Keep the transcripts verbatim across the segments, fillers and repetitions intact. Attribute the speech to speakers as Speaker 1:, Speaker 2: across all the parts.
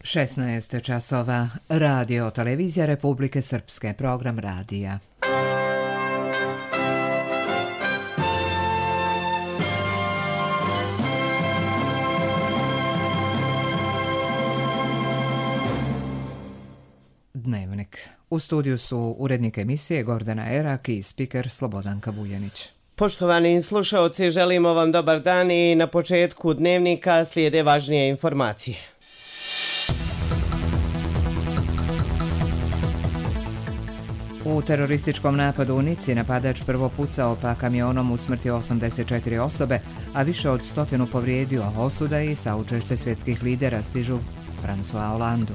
Speaker 1: šesnaest časova. Radio Televizija Republike Srpske. Program radija. Dnevnik. U studiju su urednik emisije Gordana Erak i spiker Slobodanka Vujanić.
Speaker 2: Poštovani slušaoci, želimo vam dobar dan i na početku dnevnika slijede važnije informacije.
Speaker 1: U terorističkom napadu u Nici napadač prvo pucao pa kamionom usmrtio osamdeset četiri osobe, a više od stotinu povrijedio. Osuda i saučešće svjetskih lidera stižu François Hollandu.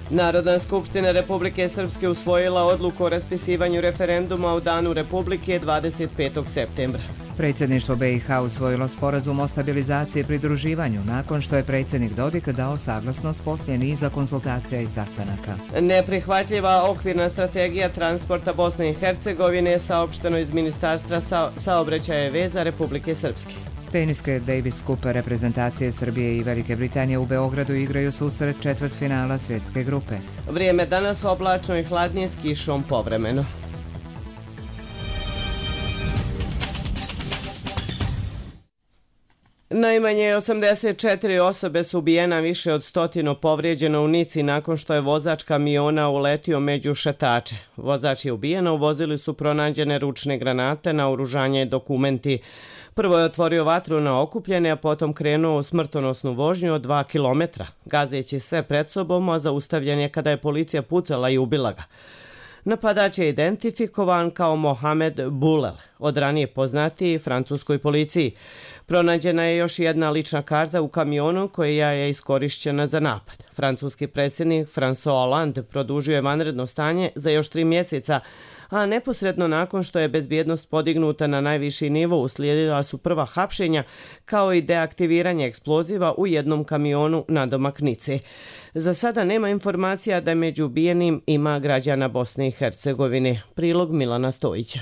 Speaker 2: Narodna skupština Republike Srpske usvojila odluku o raspisivanju referenduma u Danu Republike dvadeset petog septembra.
Speaker 1: Predsjedništvo B i H usvojilo sporazum o stabilizaciji i pridruživanju nakon što je predsjednik Dodik dao saglasnost poslije niza konsultacija i sastanaka.
Speaker 2: Neprihvatljiva okvirna strategija transporta Bosne i Hercegovine saopšteno iz Ministarstva sa saobraćaja i veza Republike Srpske.
Speaker 1: Teniske Davis Cup reprezentacije Srbije i Velike Britanije u Beogradu igraju susret četvrtfinala svjetske grupe.
Speaker 2: Vrijeme danas oblačno i hladnije s kišom povremeno. Najmanje osamdeset četiri osobe su ubijena, više od stotinu povrijeđeno u Nici nakon što je vozač kamiona uletio među šetače. Vozač je ubijen, u vozilu su pronađene ručne granate, naoružanje i dokumenti. Prvo je otvorio vatru na okupljene, a potom krenuo u smrtonosnu vožnju od dva kilometra, gazeći sve pred sobom, a zaustavljen je kada je policija pucala i ubila ga. Napadač je identifikovan kao Mohamed Boulel, od ranije poznatiji francuskoj policiji. Pronađena je još jedna lična karta u kamionu koja je iskorišćena za napad. Francuski predsjednik François Hollande produžio je vanredno stanje za još tri mjeseca, a neposredno nakon što je bezbjednost podignuta na najviši nivo uslijedila su prva hapšenja kao i deaktiviranje eksploziva u jednom kamionu nadomak Nice. Za sada nema informacija da među ubijenim ima građana Bosne i Hercegovine. Prilog Milana Stojića.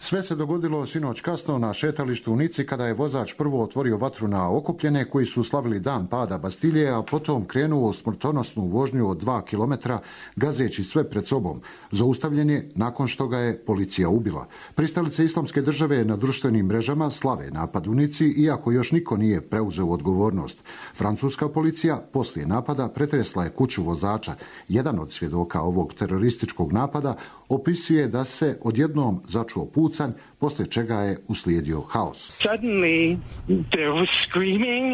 Speaker 3: Sve se dogodilo sinoć kasno na šetalištu u Nici kada je vozač prvo otvorio vatru na okupljene koji su slavili dan pada Bastilje, a potom krenuo u smrtonosnu vožnju od dva kilometra gazeći sve pred sobom. Zaustavljen je nakon što ga je policija ubila. Pristalice Islamske države na društvenim mrežama slave napad u Nici, iako još niko nije preuzeo odgovornost. Francuska policija poslije napada pretresla je kuću vozača. Jedan od svjedoka ovog terorističkog napada opisuje da se odjednom začuo pucanj, poslije čega je uslijedio haos.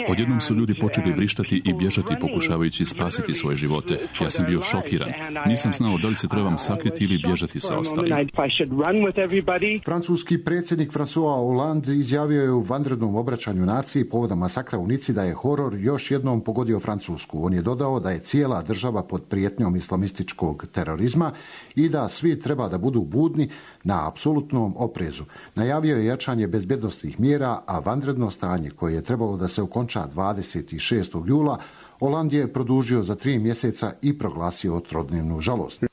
Speaker 4: Odjednom su ljudi počeli vrištati i bježati pokušavajući spasiti svoje živote. Ja sam bio šokiran. Nisam znao da li se trebam sakriti ili bježati sa ostalim.
Speaker 3: Francuski predsjednik François Hollande izjavio je u vanrednom obraćanju naciji povodom masakra u Nici da je horor još jednom pogodio Francusku. On je dodao da je cijela država pod prijetnjom islamističkog terorizma i da svi treba da budu budni na apsolutnom oprezu. Najavio je jačanje bezbjednosnih mjera, a vanredno stanje koje je trebalo da se okonča dvadeset šestog jula Hollande je produžio za tri mjeseca i proglasio trodnevnu žalost.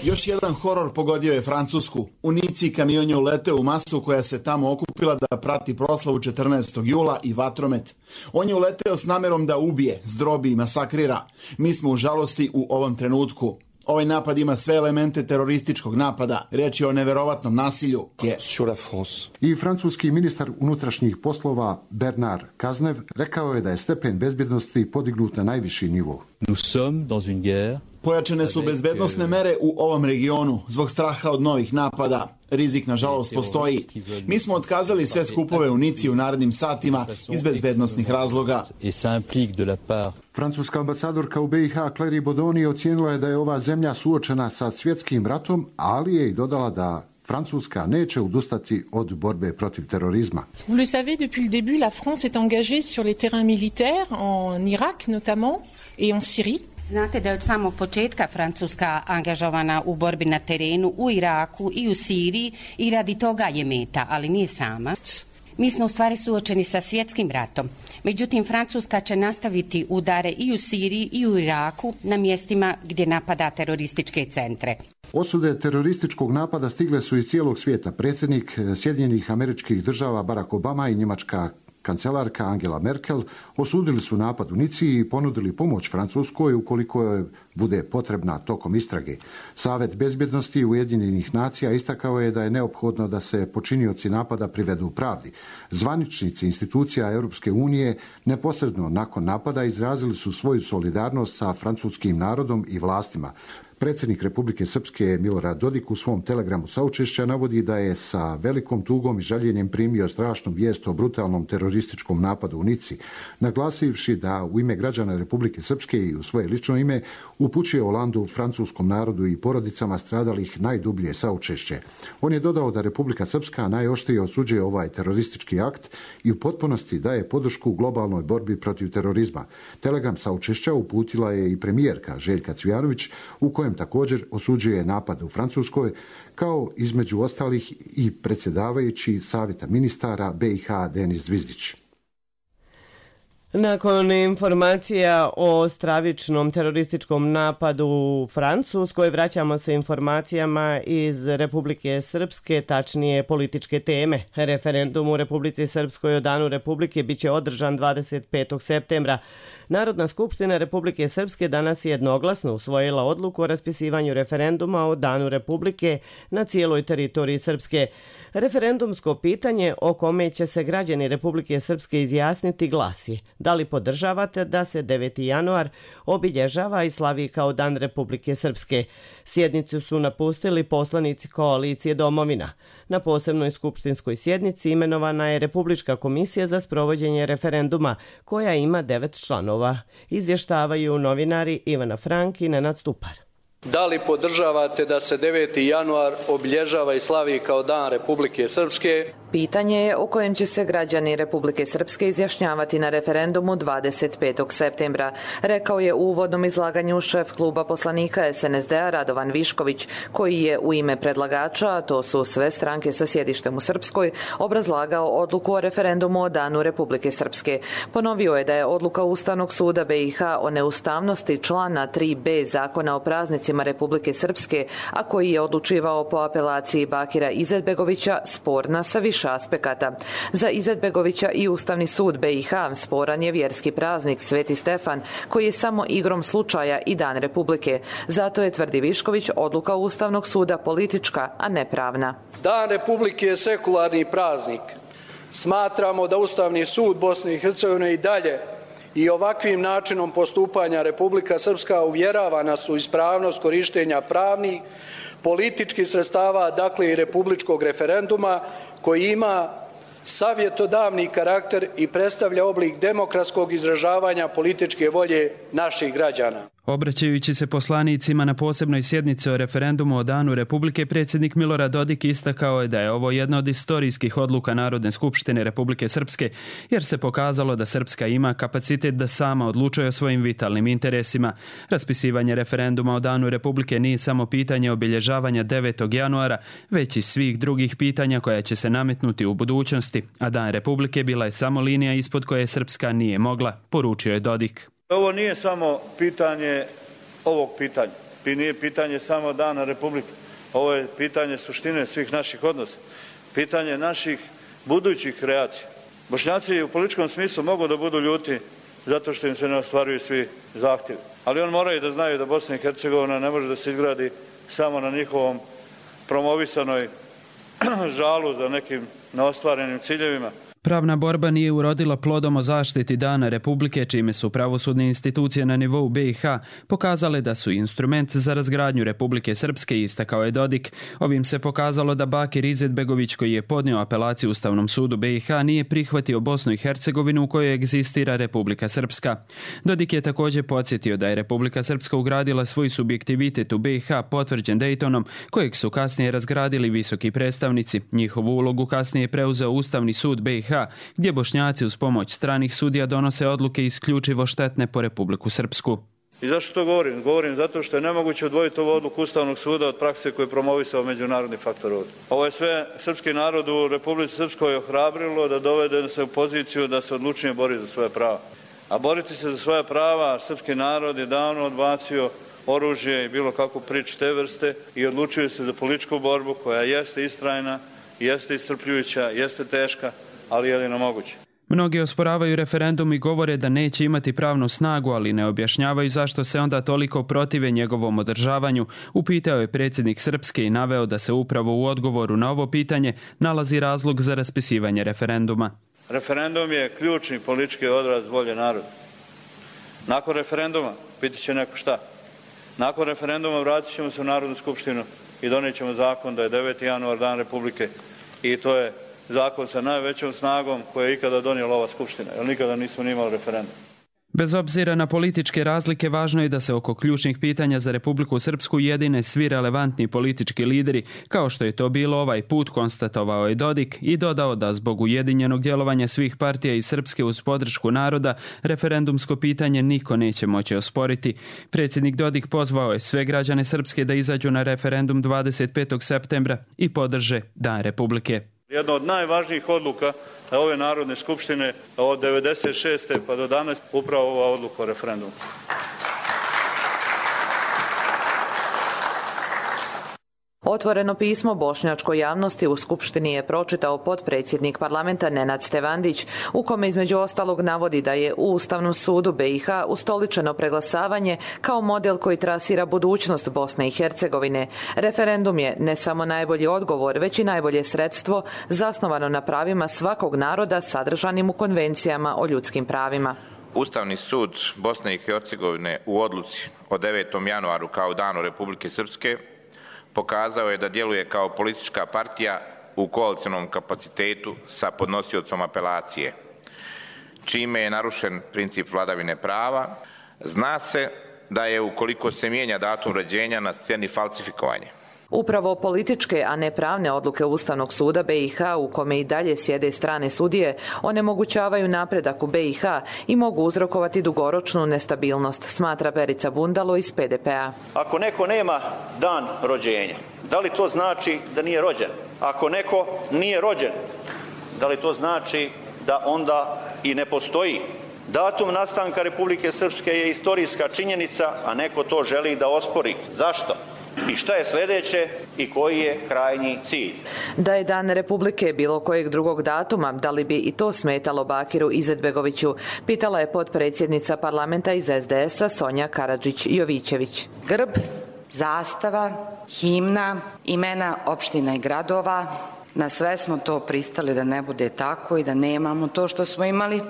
Speaker 5: Još jedan horor pogodio je Francusku. U Nici kamion je uleteo u masu koja se tamo okupila da prati proslavu četrnaestog jula i vatromet. On je uleteo s namjerom da ubije, zdrobi i masakrira. Mi smo u žalosti u ovom trenutku. Ovaj napad ima sve elemente terorističkog napada. Riječ je o neverovatnom nasilju. Je.
Speaker 3: I francuski ministar unutrašnjih poslova Bernard Cazeneuve rekao je da je stepen bezbjednosti podignut na najviši nivo.
Speaker 5: Pojačane su bezbednosne mere u ovom regionu zbog straha od novih napada. Rizik, nažalost, postoji. Mi smo otkazali sve skupove u Nici u narednim satima iz bezbednosnih razloga.
Speaker 3: Francuska ambasadorka u B i H Claire Bodoni ocijenila je da je ova zemlja suočena sa svjetskim ratom, ali je i dodala da Francuska neće odustati od borbe protiv terorizma.
Speaker 6: Vous le savez, depuis le début, la France est engagée sur les terrains militaires, en Irak notamment, et en Syrie.
Speaker 7: Znate da je od samog početka Francuska angažovana u borbi na terenu u Iraku i u Siriji i radi toga je meta, ali nije sama. Mi smo u stvari suočeni sa svjetskim ratom. Međutim, Francuska će nastaviti udare i u Siriji i u Iraku na mjestima gdje napada terorističke centre.
Speaker 3: Osude terorističkog napada stigle su iz cijelog svijeta. Predsjednik Sjedinjenih Američkih Država Barack Obama i njemačka kancelarka Angela Merkel osudili su napad u Nici i ponudili pomoć Francuskoj ukoliko je bude potrebna tokom istrage. Savet bezbjednosti Ujedinjenih nacija istakao je da je neophodno da se počinioci napada privedu pravdi. Zvaničnici institucija Europske unije neposredno nakon napada izrazili su svoju solidarnost sa francuskim narodom i vlastima. Predsjednik Republike Srpske Milorad Dodik u svom telegramu saučešća navodi da je sa velikom tugom i žaljenjem primio strašnu vijest o brutalnom terorističkom napadu u Nici, naglasivši da u ime građana Republike Srpske i u svoje lično ime upućuje Holandu, francuskom narodu i porodicama stradalih najdublje saučešće. On je dodao da Republika Srpska najoštrije osuđuje ovaj teroristički akt i u potpunosti daje podršku globalnoj borbi protiv terorizma. Telegram saučešća uputila je i premijerka Željka Cvijanović u kojem također osuđuje napad u Francuskoj, kao između ostalih i predsjedavajući Savjeta ministara B i H Denis Zvizdić.
Speaker 2: Nakon informacija o stravičnom terorističkom napadu u Francuskoj, vraćamo se informacijama iz Republike Srpske, tačnije političke teme. Referendum u Republici Srpskoj o Danu Republike biće održan dvadeset petog septembra. Narodna skupština Republike Srpske danas je jednoglasno usvojila odluku o raspisivanju referenduma o Danu Republike na cijeloj teritoriji Srpske. Referendumsko pitanje o kome će se građani Republike Srpske izjasniti glasi: da li podržavate da se deveti januar obilježava i slavi kao Dan Republike Srpske? Sjednicu su napustili poslanici koalicije Domovina. Na posebnoj skupštinskoj sjednici imenovana je Republička komisija za sprovođenje referenduma, koja ima devet članova. Izvještavaju novinari Ivana Frank i Nenad Stupar.
Speaker 8: Da li podržavate da se deveti januar obilježava i slavi kao Dan Republike Srpske?
Speaker 9: Pitanje je o kojem će se građani Republike Srpske izjašnjavati na referendumu dvadeset petog septembra, rekao je u uvodnom izlaganju šef kluba poslanika S N S D-a Radovan Višković, koji je u ime predlagača, a to su sve stranke sa sjedištem u Srpskoj, obrazlagao odluku o referendumu o Danu Republike Srpske. Ponovio je da je odluka Ustavnog suda B i H o neustavnosti člana tri B Zakona o praznicima Republike Srpske, a koji je odlučivao po apelaciji Bakira Izetbegovića, sporna sa više aspekata. Za Izetbegovića i Ustavni sud B i H sporan je vjerski praznik Sveti Stefan, koji je samo igrom slučaja i Dan Republike. Zato je, tvrdi Višković, odluka Ustavnog suda politička, a ne pravna.
Speaker 8: Dan Republike je sekularni praznik. Smatramo da Ustavni sud Bosne i Hercegovine i dalje i ovakvim načinom postupanja Republika Srpska uvjerava nas u ispravnost korištenja pravnih, političkih sredstava, dakle i republičkog referenduma, koji ima savjetodavni karakter i predstavlja oblik demokratskog izražavanja političke volje naših građana.
Speaker 10: Obraćajući se poslanicima na posebnoj sjednici o referendumu o Danu Republike, predsjednik Milorad Dodik istakao je da je ovo jedna od istorijskih odluka Narodne skupštine Republike Srpske, jer se pokazalo da Srpska ima kapacitet da sama odlučuje o svojim vitalnim interesima. Raspisivanje referenduma o Danu Republike nije samo pitanje obilježavanja devetog januara, već i svih drugih pitanja koja će se nametnuti u budućnosti, a Dan Republike bila je samo linija ispod koje Srpska nije mogla, poručio je Dodik.
Speaker 11: Ovo nije samo pitanje ovog pitanja, nije pitanje samo Dana Republike, ovo je pitanje suštine svih naših odnosa, pitanje naših budućih reakcija. Bošnjaci u političkom smislu mogu da budu ljuti zato što im se ne ostvaruju svi zahtjevi, ali on moraju da znaju da Bosna i Hercegovina ne može da se izgradi samo na njihovom promovisanoj žalu za nekim neostvarenim ciljevima.
Speaker 10: Pravna borba nije urodila plodom o zaštiti Dana Republike, čime su pravosudne institucije na nivou B i H pokazale da su instrument za razgradnju Republike Srpske, istakao je Dodik. Ovim se pokazalo da Bakir Izetbegović, koji je podnio apelaciju Ustavnom sudu B i H, nije prihvatio Bosnu i Hercegovinu u kojoj egzistira Republika Srpska. Dodik je također podsjetio da je Republika Srpska ugradila svoj subjektivitet u B i H potvrđen Daytonom, kojeg su kasnije razgradili visoki predstavnici. Njihovu ulogu kasnije je preuzeo Ustavni sud B i H, gdje Bošnjaci uz pomoć stranih sudija donose odluke isključivo štetne po Republiku Srpsku.
Speaker 11: I zašto to govorim? Govorim zato što je nemoguće odvojiti ovu odluku Ustavnog suda od prakse koju je promovisao međunarodni faktor ovdje. Ovo je sve srpski narod u Republici Srpskoj ohrabrilo da dovede se u poziciju da se odlučnije bori za svoje prava. A boriti se za svoje prava srpski narod je davno odbacio oružje i bilo kakvu priču te vrste i odlučuje se za političku borbu koja jeste istrajna, jeste iscrpljujuća, jeste teška, ali jedino moguće.
Speaker 10: Mnogi osporavaju referendum i govore da neće imati pravnu snagu, ali ne objašnjavaju zašto se onda toliko protive njegovom održavanju. Upitao je predsjednik Srpske i naveo da se upravo u odgovoru na ovo pitanje nalazi razlog za raspisivanje referenduma.
Speaker 11: Referendum je ključni politički odraz volje naroda. Nakon referenduma, pitat će neko šta? Nakon referenduma vratit ćemo se u Narodnu skupštinu i donijet ćemo zakon da je deveti januar dan Republike i to je zakon sa najvećom snagom koje je ikada donijela ova skupština, jer nikada nismo ni imali referendum.
Speaker 10: Bez obzira na političke razlike, važno je da se oko ključnih pitanja za Republiku Srpsku jedine svi relevantni politički lideri, kao što je to bilo ovaj put, konstatovao je Dodik i dodao da zbog ujedinjenog djelovanja svih partija iz Srpske uz podršku naroda, referendumsko pitanje niko neće moći osporiti. Predsjednik Dodik pozvao je sve građane Srpske da izađu na referendum dvadeset petog septembra i podrže Dan Republike.
Speaker 11: Jedna od najvažnijih odluka ove Narodne skupštine od devedeset šeste pa do danas upravo ova odluka o referendumu.
Speaker 9: Otvoreno pismo bošnjačkoj javnosti u Skupštini je pročitao potpredsjednik parlamenta Nenad Stevandić, u kome između ostalog navodi da je u Ustavnom sudu B i H ustoličeno preglasavanje kao model koji trasira budućnost Bosne i Hercegovine. Referendum je ne samo najbolji odgovor, već i najbolje sredstvo zasnovano na pravima svakog naroda sadržanim u konvencijama o ljudskim pravima.
Speaker 12: Ustavni sud Bosne i Hercegovine u odluci od devetom januaru kao Danu Republike Srpske pokazao je da djeluje kao politička partija u koalicionom kapacitetu sa podnosiocom apelacije, čime je narušen princip vladavine prava. Zna se da je, ukoliko se mijenja datum rođenja, na sceni falsifikovanje.
Speaker 9: Upravo političke, a ne pravne odluke Ustavnog suda B i H, u kome i dalje sjede strane sudije, onemogućavaju napredak u B i H i mogu uzrokovati dugoročnu nestabilnost, smatra Perica Bundalo iz P D P-a.
Speaker 13: Ako neko nema dan rođenja, da li to znači da nije rođen? Ako neko nije rođen, da li to znači da onda i ne postoji? Datum nastanka Republike Srpske je istorijska činjenica, a neko to želi da ospori. Zašto? I šta je sljedeće i koji je krajnji cilj?
Speaker 9: Da je Dan Republike bilo kojeg drugog datuma, da li bi i to smetalo Bakiru Izetbegoviću, pitala je potpredsjednica parlamenta iz S D S-a Sonja Karadžić-Jovićević.
Speaker 14: Grb, zastava, himna, imena opština i gradova, na sve smo to pristali da ne bude tako i da nemamo to što smo imali,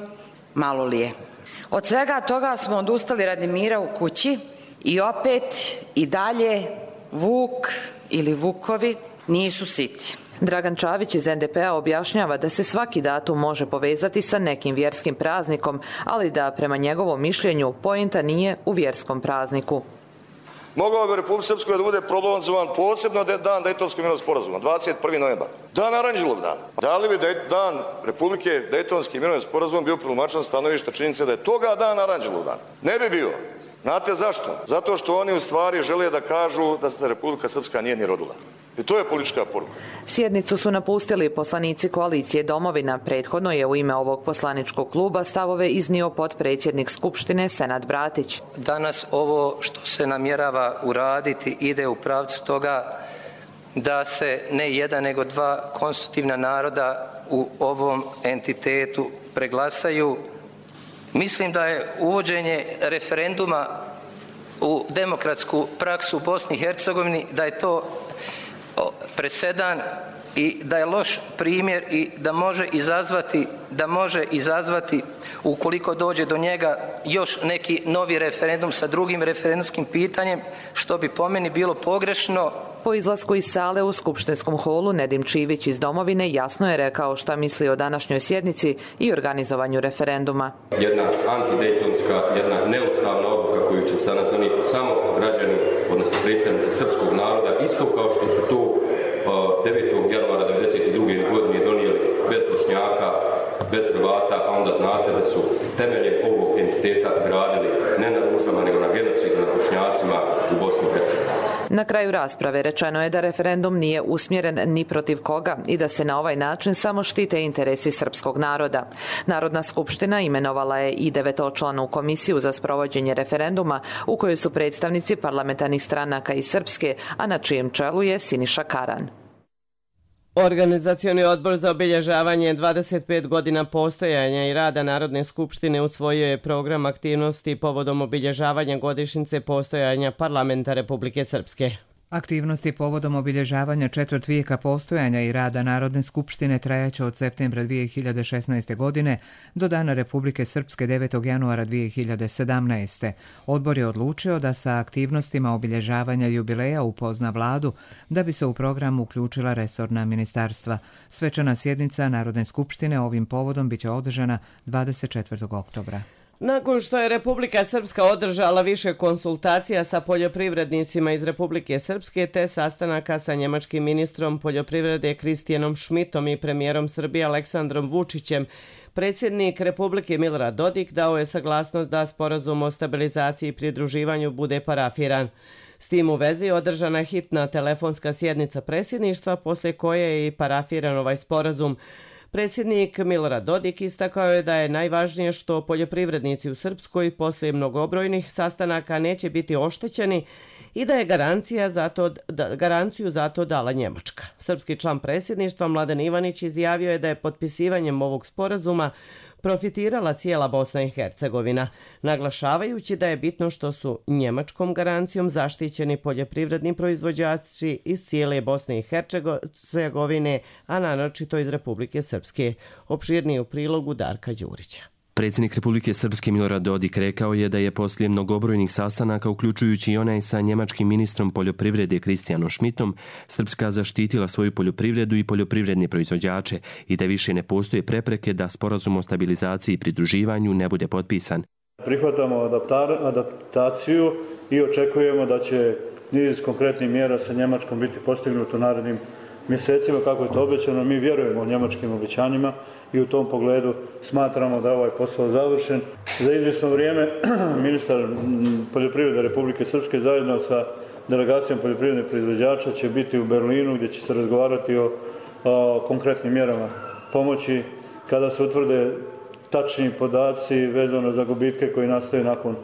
Speaker 14: malo li je. Od svega toga smo odustali radi mira u kući i opet i dalje Vuk ili Vukovi nisu siti.
Speaker 9: Dragan Čavić iz N D P-a objašnjava da se svaki datum može povezati sa nekim vjerskim praznikom, ali da prema njegovom mišljenju poenta nije u vjerskom prazniku.
Speaker 15: Mogao bi u Republici Srpskoj da bude proglašen posebno dan Dejtonskog mirovnog sporazuma, dvadeset prvi novembar. Dan Aranđelov dan. Da li bi dan Republike Dejtonski mirovni sporazum bio protumačen stanovišta činjenice da je toga dan Aranđelov dan? Ne bi bio. Znate zašto? Zato što oni u stvari žele da kažu da se Republika Srpska nije ni rodila. I to je politička poruka.
Speaker 9: Sjednicu su napustili poslanici koalicije Domovina. Prethodno je u ime ovog poslaničkog kluba stavove iznio potpredsjednik Skupštine Senad Bratić.
Speaker 16: Danas ovo što se namjerava uraditi ide u pravcu toga da se ne jedan nego dva konstitutivna naroda u ovom entitetu preglasaju. Mislim da je uvođenje referenduma u demokratsku praksu u Bosni i Hercegovini, da je to presedan i da je loš primjer i da može izazvati, da može izazvati ukoliko dođe do njega još neki novi referendum sa drugim referendumskim pitanjem, što bi po meni bilo pogrešno.
Speaker 9: Po izlasku iz sale u skupštinskom holu Nedim Čivić iz Domovine jasno je rekao šta misli o današnjoj sjednici i organizovanju referenduma.
Speaker 17: Jedna antidejtonska, jedna neustavna odluka koju će sada donijeti samo građani, odnosno predstavnici srpskog naroda, isto kao što su to devetog januara devedeset druge godine donijeli bez Bošnjaka, bez Hrvata, a onda znate da su temeljem ovog entiteta gradili ne na ružama, nego na genocidu nad Bošnjacima u Bosni i Hercegovini.
Speaker 9: Na kraju rasprave rečeno je da referendum nije usmjeren ni protiv koga i da se na ovaj način samo štite interesi srpskog naroda. Narodna skupština imenovala je i devetočlanu komisiju za sprovođenje referenduma u kojoj su predstavnici parlamentarnih stranaka iz Srpske, a na čijem čelu je Siniša Karan.
Speaker 2: Organizacioni odbor za obilježavanje dvadeset pet godina postojanja i rada Narodne skupštine usvojio je program aktivnosti povodom obilježavanja godišnjice postojanja Parlamenta Republike Srpske.
Speaker 1: Aktivnosti povodom obilježavanja četvrt vijeka postojanja i rada Narodne skupštine trajaće od septembra dvije hiljade šesnaeste. godine do Dana Republike Srpske devetog januara dvije hiljade sedamnaeste. Odbor je odlučio da sa aktivnostima obilježavanja jubileja upozna vladu da bi se u program uključila resorna ministarstva. Svečana sjednica Narodne skupštine ovim povodom biće održana dvadeset četvrtog oktobra.
Speaker 2: Nakon što je Republika Srpska održala više konsultacija sa poljoprivrednicima iz Republike Srpske te sastanaka sa njemačkim ministrom poljoprivrede Kristijanom Šmitom i premijerom Srbije Aleksandrom Vučićem, predsjednik Republike Milorad Dodik dao je saglasnost da sporazum o stabilizaciji i pridruživanju bude parafiran. S tim u vezi održana je hitna telefonska sjednica predsjedništva, poslije koje je i parafiran ovaj sporazum. Predsjednik Milorad Dodik istakao je da je najvažnije što poljoprivrednici u Srpskoj poslije mnogobrojnih sastanaka neće biti oštećeni i da je garancija za to, da, garanciju za to dala Njemačka. Srpski član predsjedništva Mladen Ivanić izjavio je da je potpisivanjem ovog sporazuma profitirala cijela Bosna i Hercegovina, naglašavajući da je bitno što su njemačkom garancijom zaštićeni poljoprivredni proizvođači iz cijele Bosne i Hercegovine, a naročito iz Republike Srpske. Opširnije u prilogu Darka Đurića.
Speaker 18: Predsjednik Republike Srpske Milorad Dodik rekao je da je poslije mnogobrojnih sastanaka, uključujući i onaj sa njemačkim ministrom poljoprivrede Kristijanom Šmitom, Srpska zaštitila svoju poljoprivredu i poljoprivredne proizvođače i da više ne postoje prepreke da sporazum o stabilizaciji i pridruživanju ne bude potpisan.
Speaker 11: Prihvatamo adaptaciju i očekujemo da će niz konkretnih mjera sa Njemačkom biti postignut u narednim mjesecima, kako je to obećano. Mi vjerujemo u njemačkim obećanjima i u tom pogledu smatramo da je ovaj posao završen. Za izvjesno vrijeme ministar poljoprivrede Republike Srpske zajedno sa delegacijom poljoprivrednih proizvođača će biti u Berlinu gdje će se razgovarati o, o konkretnim mjerama pomoći kada se utvrde tačni podaci vezano za gubitke koji nastaju nakon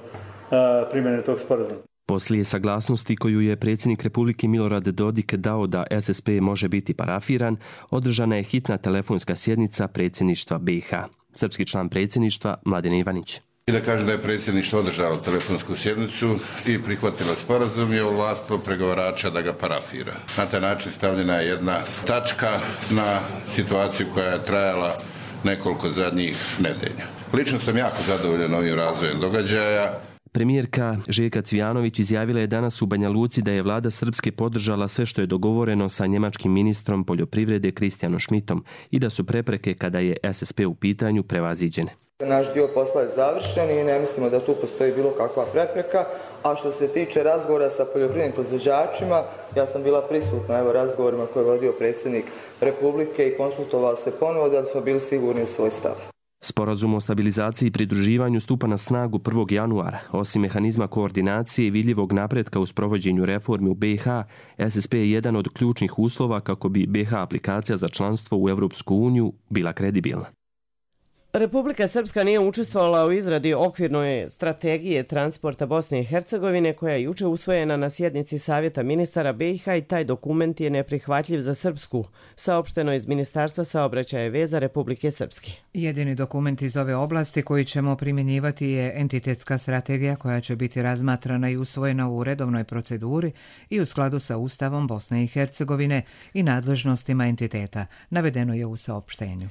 Speaker 11: a, primjene tog sporazuma.
Speaker 18: Poslije saglasnosti koju je predsjednik Republike Milorad Dodik dao da S S P može biti parafiran, održana je hitna telefonska sjednica predsjedništva B i H. Srpski član predsjedništva Mladen Ivanić.
Speaker 19: I da kaže da je predsjedništvo održalo telefonsku sjednicu i prihvatilo sporazum i ovlastilo pregovarača da ga parafira. Na taj način stavljena je jedna tačka na situaciju koja je trajala nekoliko zadnjih nedelja. Lično sam jako zadovoljan ovim razvojem događaja.
Speaker 18: Premijerka Željka Cvijanović izjavila je danas u Banja Luci da je vlada Srpske podržala sve što je dogovoreno sa njemačkim ministrom poljoprivrede Kristijanom Šmitom i da su prepreke kada je S S P u pitanju prevaziđene.
Speaker 20: Naš dio posla je završen i ne mislimo da tu postoji bilo kakva prepreka, a što se tiče razgovora sa poljoprivrednim proizvođačima, ja sam bila prisutna evo razgovorima koje je vodio predsjednik Republike i konsultovao se ponovo da smo bili sigurni u svoj stav.
Speaker 18: Sporazum o stabilizaciji i pridruživanju stupa na snagu prvog januara. Osim mehanizma koordinacije i vidljivog napretka u sprovođenju reformi u B i H, S S P je jedan od ključnih uslova kako bi B i H aplikacija za članstvo u Evropsku uniju bila kredibilna.
Speaker 2: Republika Srpska nije učestvovala u izradi okvirne strategije transporta Bosne i Hercegovine koja je juče usvojena na sjednici Savjeta ministara B i H i taj dokument je neprihvatljiv za Srpsku, saopšteno iz Ministarstva saobraćaja i veza Republike Srpske.
Speaker 1: Jedini dokument iz ove oblasti koji ćemo primjenjivati je entitetska strategija koja će biti razmatrana i usvojena u redovnoj proceduri i u skladu sa Ustavom Bosne i Hercegovine i nadležnostima entiteta, navedeno je u saopštenju.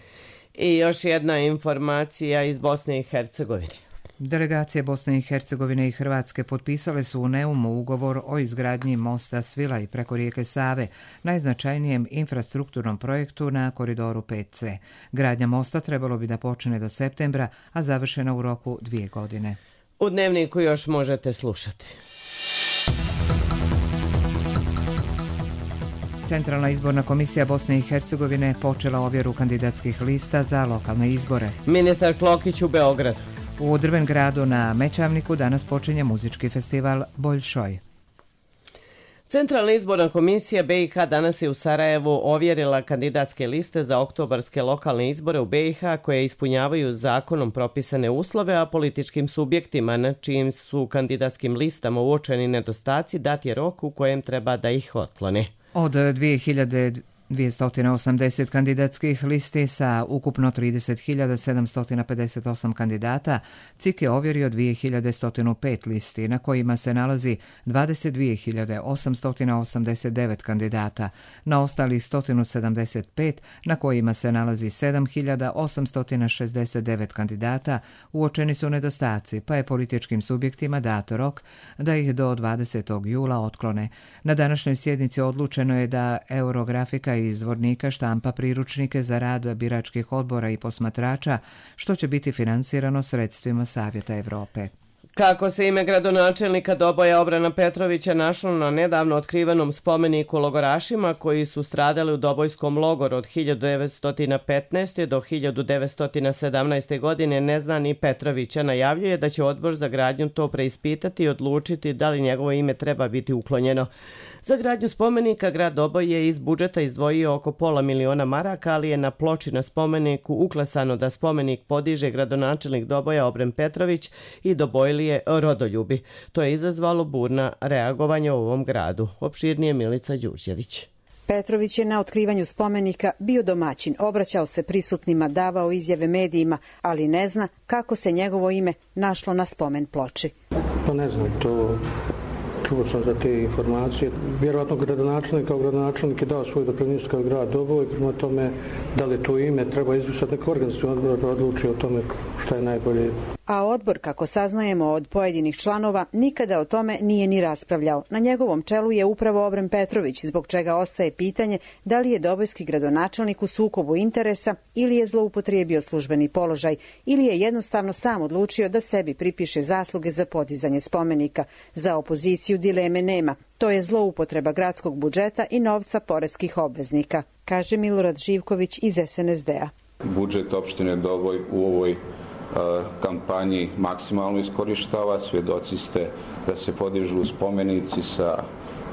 Speaker 2: I još jedna informacija iz Bosne i Hercegovine.
Speaker 1: Delegacije Bosne i Hercegovine i Hrvatske potpisale su u Neumu ugovor o izgradnji mosta Svilaj preko rijeke Save, najznačajnijem infrastrukturnom projektu na koridoru pet C. Gradnja mosta trebalo bi da počne do septembra, a završena u roku dvije godine.
Speaker 2: U Dnevniku još možete slušati.
Speaker 1: Centralna izborna komisija Bosne i Hercegovine počela ovjeru kandidatskih lista za lokalne izbore.
Speaker 2: Ministar Klokić u Beogradu.
Speaker 1: U Drvengradu na Mećavniku danas počinje muzički festival Boljšoj.
Speaker 2: Centralna izborna komisija B i H danas je u Sarajevu ovjerila kandidatske liste za oktobarske lokalne izbore u B i H koje ispunjavaju zakonom propisane uslove, a političkim subjektima na čijim su kandidatskim listama uočeni nedostaci dat je rok u kojem treba da ih otklone.
Speaker 1: Od dvije hiljade dvjesto osamdeset kandidatskih listi sa ukupno trideset hiljada sedamsto pedeset osam kandidata C I K je ovjerio dvije hiljade sto pet listi na kojima se nalazi dvadeset dvije hiljade osamsto osamdeset devet kandidata. Na ostalih sto sedamdeset pet na kojima se nalazi sedam hiljada osamsto šezdeset devet kandidata uočeni su nedostaci, pa je političkim subjektima dato rok da ih do dvadesetog jula otklone. Na današnjoj sjednici odlučeno je da Eurografika i izvornika štampa priručnike za rad biračkih odbora i posmatrača, što će biti finansirano sredstvima Savjeta Europe.
Speaker 2: Kako se ime gradonačelnika Doboja Obrana Petrovića našlo na nedavno otkrivenom spomeniku logorašima koji su stradali u Dobojskom logoru od hiljadu devetsto petnaeste. do hiljadu devetsto sedamnaeste. godine, neznani Petrovića najavljuje da će odbor za gradnju to preispitati i odlučiti da li njegovo ime treba biti uklonjeno. Za gradnju spomenika grad Doboj je iz budžeta izdvojio oko pola miliona maraka, ali je na ploči na spomeniku uklesano da spomenik podiže gradonačelnik Doboja Obren Petrović i Dobojlije rodoljubi. To je izazvalo burna reagovanje u ovom gradu. Opširnije Milica Đurđević.
Speaker 21: Petrović je na otkrivanju spomenika bio domaćin, obraćao se prisutnima, davao izjave medijima, ali ne zna kako se njegovo ime našlo na spomen ploči.
Speaker 22: Pa ne znam, to... Čuo sam za te informacije. Vjerovatno gradonačelnik kao gradonačelnik je dao svoj doprinos kao grad Doboj, prema tome da li to ime treba izbrisati neko organizacijski odbor da odluči o tome šta je najbolje.
Speaker 21: A odbor, kako saznajemo od pojedinih članova, nikada o tome nije ni raspravljao. Na njegovom čelu je upravo Obren Petrović, zbog čega ostaje pitanje da li je dobojski gradonačelnik u sukobu interesa ili je zloupotrijebio službeni položaj ili je jednostavno sam odlučio da sebi pripiše zasluge za podizanje spomenika. Za opoziciju dileme nema. To je zloupotreba gradskog budžeta i novca poreskih obveznika, kaže Milorad Živković iz S N S D-a.
Speaker 23: Budžet opštine Doboj u ovoj kampanji maksimalno iskorištava. Svjedoci ste da se podižu spomenici sa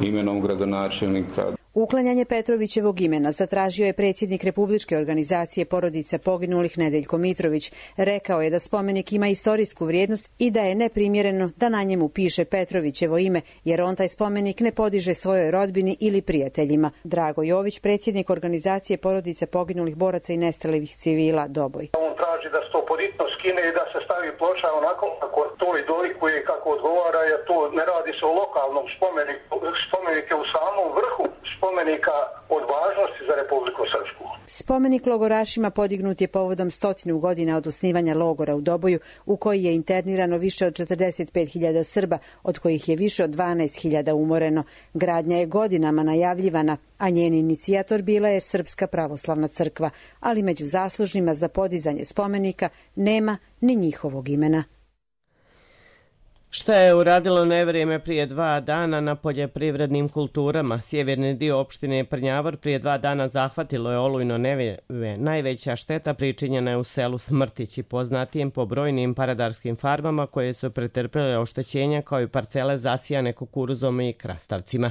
Speaker 23: imenom gradonačelnika.
Speaker 21: Uklanjanje Petrovićevog imena zatražio je predsjednik Republičke organizacije porodica poginulih Nedeljko Mitrović. Rekao je da spomenik ima istorijsku vrijednost i da je neprimjereno da na njemu piše Petrovićevo ime, jer on taj spomenik ne podiže svojoj rodbini ili prijateljima. Drago Jović, predsjednik organizacije porodica poginulih boraca i nestalih civila Doboj.
Speaker 24: On traži da se to poditno skine i da se stavi ploča onako kako to i dolikuje kako odgovara, jer to ne radi se o lokalnom spomeniku. Spomenik je u samom vrhu spomenika od važnosti za Republiku Srpsku.
Speaker 21: Spomenik logorašima podignut je povodom stotinu godina od osnivanja logora u Doboju, u koji je internirano više od četrdeset pet hiljada Srba, od kojih je više od dvanaest hiljada umoreno. Gradnja je godinama najavljivana, a njen inicijator bila je Srpska pravoslavna crkva, ali među zaslužnima za podizanje spomenika nema ni njihovog imena.
Speaker 2: Šta je uradilo nevrijeme prije dva dana na poljoprivrednim kulturama? Sjeverni dio opštine Prnjavor prije dva dana zahvatilo je olujno nevrijeme. Najveća šteta pričinjena je u selu Smrtići, poznatijem po brojnim paradarskim farmama koje su pretrpjele oštećenja kao i parcele zasijane kukuruzom i krastavcima.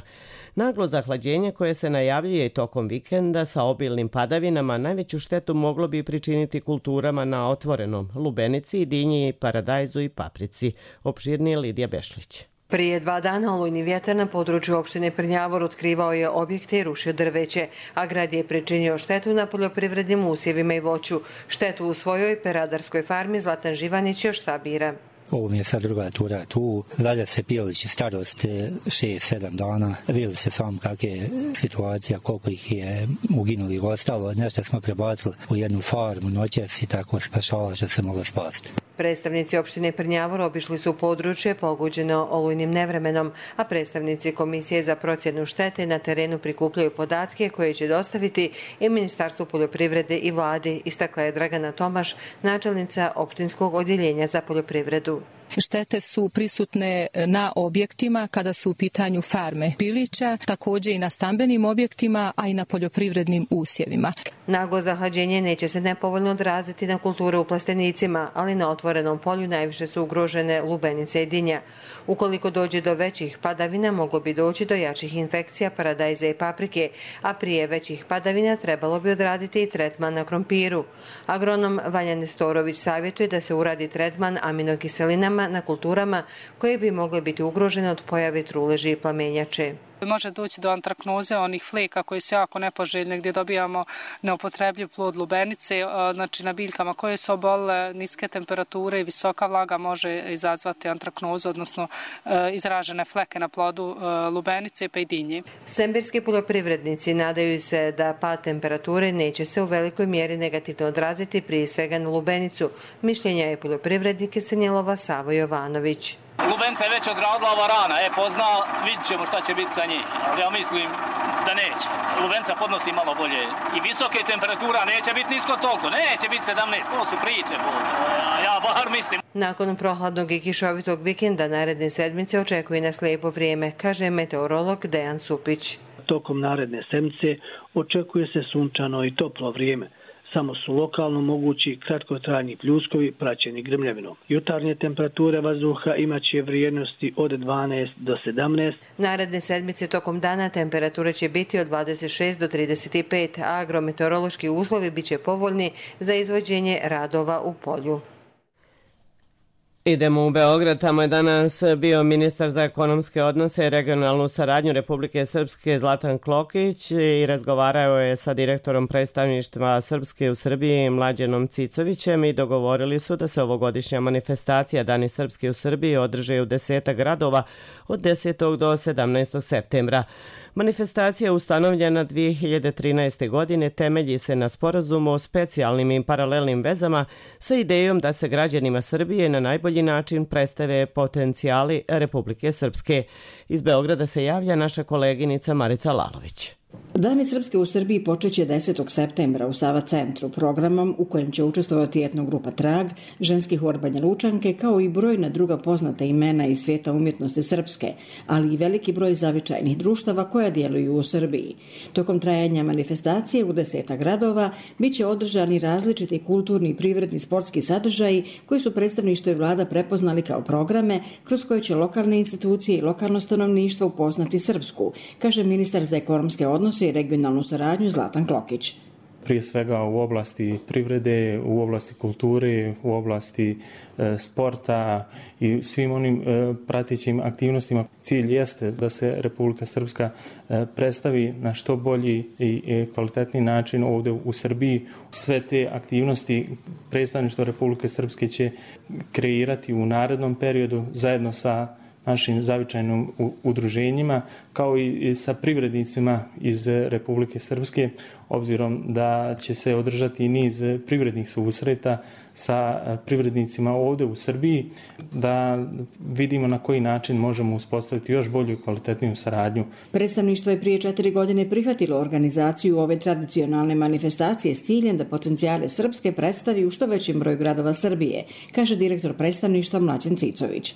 Speaker 2: Naglo zahlađenje koje se najavljuje i tokom vikenda sa obilnim padavinama najveću štetu moglo bi pričiniti kulturama na otvorenom, lubenici, dinji, paradajzu i paprici. Opširnije Lidija Bešlić.
Speaker 25: Prije dva dana olujni vjetar na području opštine Prnjavor otkrivao je objekte i rušio drveće, a grad je pričinio štetu na poljoprivrednim usjevima i voću. Štetu u svojoj peradarskoj farmi Zlatan Živanić još sabira.
Speaker 26: Ovo mi je sad druga tura tu. Zalja se pilići starost šest sedam dana. Vidjeli se sam kak je situacija, koliko ih je uginuli i ostalo. Nešto smo prebacili u jednu farmu noćas i tako spašala što se moglo spasti.
Speaker 25: Predstavnici opštine Prnjavor obišli su područje pogođeno olujnim nevremenom, a predstavnici Komisije za procjenu štete na terenu prikupljaju podatke koje će dostaviti i Ministarstvu poljoprivrede i vladi, istakla je Dragana Tomaš, načelnica opštinskog odjeljenja za poljoprivredu.
Speaker 27: Štete su prisutne na objektima kada su u pitanju farme pilića, također i na stambenim objektima, a i na poljoprivrednim usjevima.
Speaker 25: Naglo zahlađenje neće se nepovoljno odraziti na kulture u plastenicima, ali na otvorenom polju najviše su ugrožene lubenice i dinja. Ukoliko dođe do većih padavina, moglo bi doći do jačih infekcija paradajza i paprike, a prije većih padavina trebalo bi odraditi i tretman na krompiru. Agronom Vanja Nestorović savjetuje da se uradi tretman aminokiselinama na kulturama koje bi mogle biti ugrožene od pojave truleži i plamenjače.
Speaker 3: Može doći do antraknoze, onih fleka koji su jako nepoželjne, gdje dobijamo neupotrebljiv plod lubenice, znači na biljkama koje su obolile, niske temperature i visoka vlaga može izazvati antraknozu, odnosno izražene fleke na plodu lubenice pa i dinje.
Speaker 25: Sembirski poljoprivrednici nadaju se da pad temperature neće se u velikoj mjeri negativno odraziti prije svega na lubenicu. Mišljenja je poljoprivrednik Senjelova Savo Jovanović.
Speaker 4: Lubenica je već odradila ova rana, e pozna, vidit ćemo šta će biti sa njih, ali ja mislim da neće. Lubenica podnosi malo bolje i visoke temperatura, neće biti nisko toliko, neće biti sedamnaest, to su priče, ja bar mislim.
Speaker 25: Nakon prohladnog i kišovitog vikenda naredne sedmice očekuje nas lijepo vrijeme, kaže meteorolog Dejan Supić.
Speaker 5: Tokom naredne sedmice očekuje se sunčano i toplo vrijeme. Samo su lokalno mogući kratkotrajni pljuskovi praćeni grmljavinom. Jutarnje temperature vazduha imaće vrijednosti od dvanaest do sedamnaest.
Speaker 25: Naredne sedmice tokom dana temperature će biti od dvadeset šest do trideset pet, a agrometeorološki uslovi bit će povoljni za izvođenje radova u polju.
Speaker 2: Idemo u Beograd, tamo je danas bio ministar za ekonomske odnose i regionalnu saradnju Republike Srpske Zlatan Klokić i razgovarao je sa direktorom predstavništva Srpske u Srbiji Mlađenom Cicovićem i dogovorili su da se ovogodišnja manifestacija Dani Srpske u Srbiji održe u desetak gradova od desetog do sedamnaestog septembra. Manifestacija ustanovljena dvije hiljade trinaeste. godine temelji se na sporazumu o specijalnim i paralelnim vezama sa idejom da se građanima Srbije na najbolji način predstave potencijali Republike Srpske. Iz Beograda se javlja naša koleginica Marica Lalović.
Speaker 6: Dani Srpske u Srbiji počeće desetog septembra u Sava centru programom u kojem će učestvovati etnogrupa Trag, ženski hor Banja Lučanke kao i brojna druga poznata imena iz svijeta umjetnosti srpske, ali i veliki broj zavičajnih društava koja djeluju u Srbiji. Tokom trajanja manifestacije u deseta gradova bit će održani različiti kulturni i privredni sportski sadržaji koji su predstavništvo i vlada prepoznali kao programe kroz koje će lokalne institucije i lokalno stanovništvo upoznati srpsku, kaže ministar za ekonomske odnose i regionalnu saradnju Zlatan Klokić.
Speaker 7: Prije svega u oblasti privrede, u oblasti kulture, u oblasti e, sporta i svim onim e, pratećim aktivnostima. Cilj jeste da se Republika Srpska e, predstavi na što bolji i, i kvalitetni način ovdje u Srbiji. Sve te aktivnosti predstavništvo Republike Srpske će kreirati u narednom periodu zajedno sa našim zavičajnim udruženjima, kao i sa privrednicima iz Republike Srpske, obzirom da će se održati niz privrednih susreta sa privrednicima ovdje u Srbiji, da vidimo na koji način možemo uspostaviti još bolju i kvalitetniju saradnju.
Speaker 6: Predstavništvo je prije četiri godine prihvatilo organizaciju ove tradicionalne manifestacije s ciljem da potencijale Srpske predstavi u što većem broju gradova Srbije, kaže direktor predstavništva Mlađen Cicović.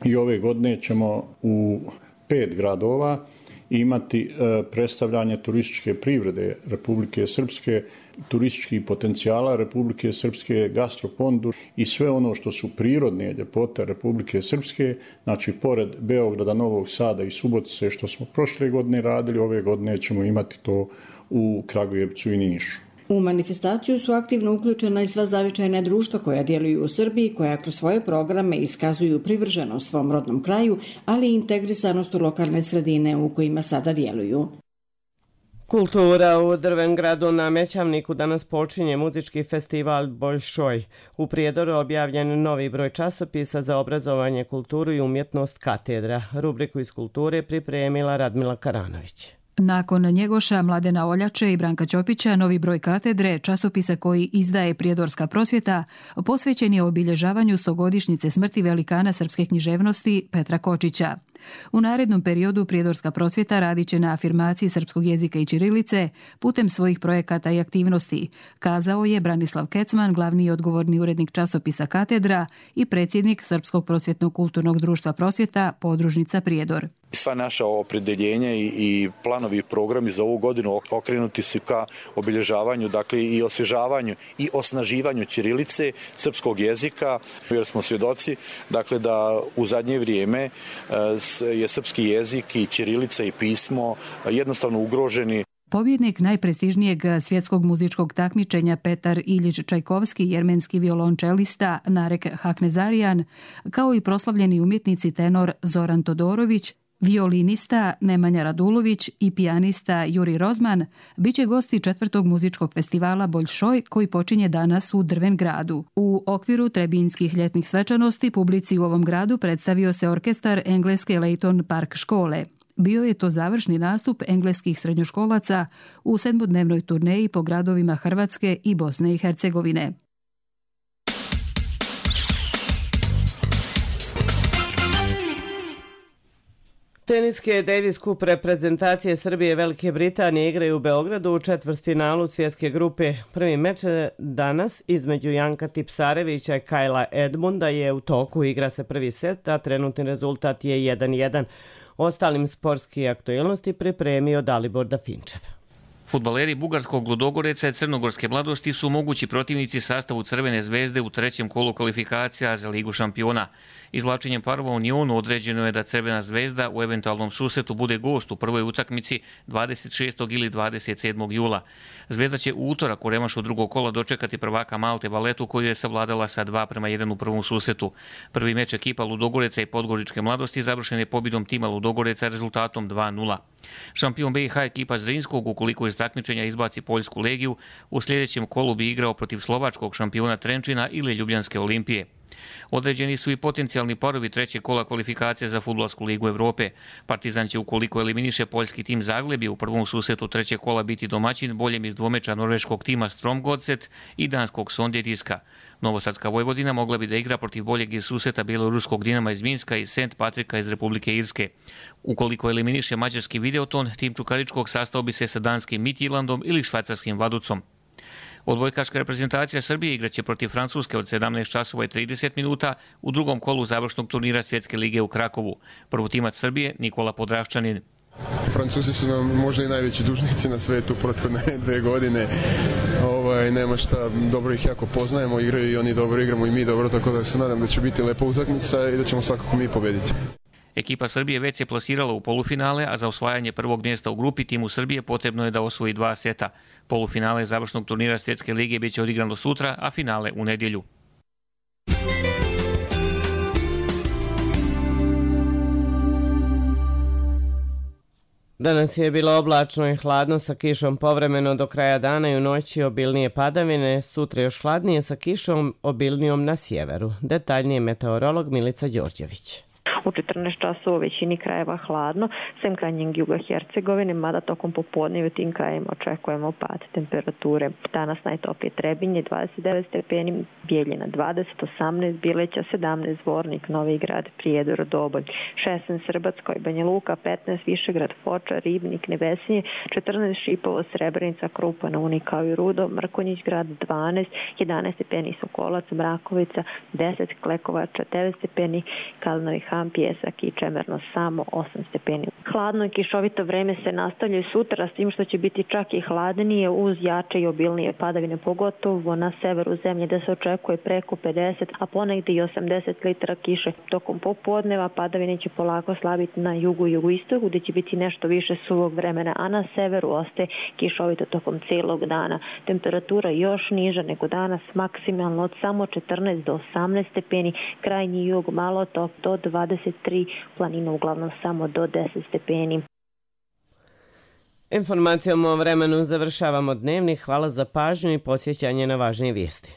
Speaker 8: I ove godine ćemo u pet gradova imati predstavljanje turističke privrede Republike Srpske, turističkih potencijala Republike Srpske, gastropondu i sve ono što su prirodne ljepote Republike Srpske, znači pored Beograda, Novog Sada i Subotice što smo prošle godine radili, ove godine ćemo imati to u Kragujevcu i Nišu.
Speaker 6: U manifestaciju su aktivno uključena i sva zavičajna društva koja djeluju u Srbiji, koja kroz svoje programe iskazuju privrženost svom rodnom kraju, ali i integrisanost u lokalne sredine u kojima sada djeluju.
Speaker 2: Kultura u Drvengradu na Mećavniku danas počinje muzički festival Bolšoj. U Prijedoru objavljen novi broj časopisa za obrazovanje, kulturu i umjetnost Katedra. Rubriku iz kulture pripremila Radmila Karanović.
Speaker 10: Nakon Njegoša, Mladena Oljače i Branka Ćopića, novi broj Katedre, časopisa koji izdaje Prijedorska prosvjeta, posvećen je obilježavanju stogodišnjice smrti velikana srpske književnosti Petra Kočića. U narednom periodu Prijedorska prosvjeta radit će na afirmaciji srpskog jezika i ćirilice putem svojih projekata i aktivnosti, kazao je Branislav Kecman, glavni i odgovorni urednik časopisa Katedra i predsjednik Srpskog prosvjetnog kulturnog društva Prosvjeta, podružnica Prijedor.
Speaker 28: Sva naša opredeljenja i, i planovi i programi za ovu godinu okrenuti su ka obilježavanju, dakle i osvježavanju i osnaživanju ćirilice, srpskog jezika, jer smo svjedoci dakle da u zadnje vrijeme je srpski jezik i ćirilica i pismo jednostavno ugroženi.
Speaker 10: Pobjednik najprestižnijeg svjetskog muzičkog takmičenja Petar Iljić Čajkovski, jermenski violončelista Narek Haknezarijan, kao i proslavljeni umjetnici tenor Zoran Todorović, Violinista Nemanja Radulović i pijanista Juri Rozman biće gosti četvrtog muzičkog festivala Boljšoj koji počinje danas u Drvengradu. U okviru Trebinjskih ljetnih svečanosti publici u ovom gradu predstavio se orkestar engleske Leighton Park škole. Bio je to završni nastup engleskih srednjoškolaca u sedmodnevnoj turneji po gradovima Hrvatske i Bosne i Hercegovine.
Speaker 2: Teniske Davis Cup reprezentacije Srbije i Velike Britanije igraju u Beogradu u četvrtfinalu svjetske grupe. Prvi meč danas između Janka Tipsarevića i Kajla Edmunda je u toku. Igra se prvi set, a trenutni rezultat je jedan jedan. Ostalim sportski aktualnosti pripremio Dalibor Dafinčev.
Speaker 9: Fudbaleri bugarskog Ludogoreca i crnogorske Mladosti su mogući protivnici sastavu Crvene zvezde u trećem kolu kvalifikacija za Ligu šampiona. Izvlačenjem parova u Unionu određeno je da Crvena zvezda u eventualnom susretu bude gost u prvoj utakmici dvadeset šestog ili dvadeset sedmog jula. Zvezda će u utorak u remašu drugog kola dočekati prvaka Malte Valetu koju je savladala sa dva prema jedan u prvom susretu. Prvi meč ekipa Ludogoreca i Podgoričke Mladosti završen je pobjedom tima Ludogoreca rezultatom dva nula. Šampion B iH ekipa Zrinskog, ukoliko iz takmičenja izbaci Poljsku Legiju, u sljedećem kolu bi igrao protiv slovačkog šampiona Trenčina ili Ljubljanske Olimpije. Određeni su i potencijalni parovi trećeg kola kvalifikacije za Fudbalsku ligu Evrope. Partizan će, ukoliko eliminiše poljski tim Zaglebi, u prvom susretu trećeg kola biti domaćin boljem iz dvomeča norveškog tima Stromgodset i danskog Sonderiska. Novosadska Vojvodina mogla bi da igra protiv boljeg iz susreta bjeloruskog Dinama iz Minska i Sent Patrika iz Republike Irske. Ukoliko eliminiše mađarski Videoton, tim Čukaričkog sastao bi se sa danskim Midtjyllandom ili švajcarskim Vaducom. Odbojkaška reprezentacija Srbije igraće protiv Francuske od sedamnaest časova i trideset minuta u drugom kolu završnog turnira Svjetske lige u Krakovu. Prvotimac Srbije Nikola Podravščanin.
Speaker 11: Francuzi su nam možda i najveći dužnici na svetu prethodne dve godine. Ovaj, nema šta, dobro ih jako poznajemo, igraju i oni dobro, igramo i mi dobro, tako da se nadam da će biti lepa utakmica i da ćemo svakako mi pobediti.
Speaker 9: Ekipa Srbije već se plasirala u polufinale, a za osvajanje prvog mjesta u grupi timu Srbije potrebno je da osvoji dva seta. Polufinale završnog turnira Svjetske lige bit će odigrano sutra, a finale u nedjelju.
Speaker 2: Danas je bilo oblačno i hladno sa kišom povremeno do kraja dana i u noći obilnije padavine, sutra još hladnije sa kišom obilnijom na sjeveru. Detaljnije meteorolog Milica Đorđević.
Speaker 12: U četrnaest časova u većini krajeva hladno, sem krajnjeg juga Hercegovine, mada tokom popodne u tim krajevima očekujemo pad temperature. Danas najtoplije Trebinje dvadeset devet stepeni, Bijeljina dvadeset, osamnaest Bileća, sedamnaest Zvornik, Novi Grad, Prijedor, Doboj, šesnaest Srbatskoj, Banja Luka, petnaest Višegrad, Foča, Ribnik, Nevesinje, četrnaest Šipovo, Srebrenica, Krupa, Uni kao i Rudo, Mrkonjić Grad dvanaest, jedanaest stepeni Sokolac, Mrakovica, deset Klekovača, devet stepeni Kalnovi Ham, Pjesak i Čemerno samo osam stepeni. Hladno i kišovito vreme se nastavlja i sutra, s tim što će biti čak i hladnije uz jače i obilnije padavine, pogotovo na severu zemlje gde se očekuje preko pedeset, a ponegdje i osamdeset litara kiše. Tokom popodneva padavine će polako slabiti na jugu i jugoistoku gde će biti nešto više suvog vremena, a na severu ostaje kišovito tokom cijelog dana. Temperatura još niža nego danas, maksimalno od samo četrnaest do osamnaest stepeni, krajnji jug malo top do dvadeset tri, planina uglavnom samo do deset stepeni.
Speaker 2: Informacijom o vremenu završavamo dnevnik. Hvala za pažnju i posjećanje na važnije vijesti.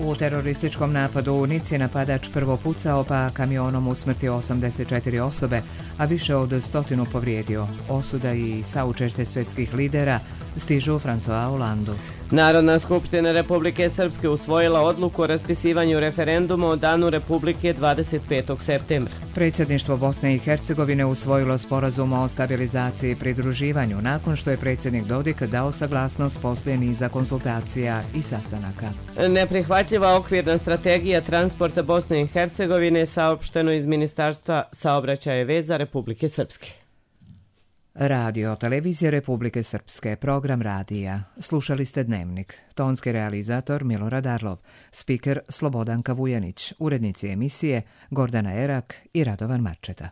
Speaker 1: U terorističkom napadu u Nici napadač prvo pucao pa kamionom usmrtio osamdeset četiri osobe, a više od stotinu povrijedio. Osuda i saučešće svjetskih lidera stižu u François Hollandu.
Speaker 2: Narodna skupština Republike Srpske usvojila odluku o raspisivanju referenduma o Danu Republike dvadeset petog septembra.
Speaker 1: Predsjedništvo Bosne i Hercegovine usvojilo sporazum o stabilizaciji i pridruživanju nakon što je predsjednik Dodik dao saglasnost poslije niza konsultacija i sastanaka.
Speaker 2: Neprihvatljiva okvirna strategija transporta Bosne i Hercegovine saopšteno iz Ministarstva saobraćaja i veza Republike Srpske.
Speaker 1: Radio televizije Republike Srpske, program radija. Slušali ste Dnevnik. Tonski realizator Milorad Arlov, spiker Slobodanka Vujanić, urednici emisije Gordana Erak i Radovan Marčeta.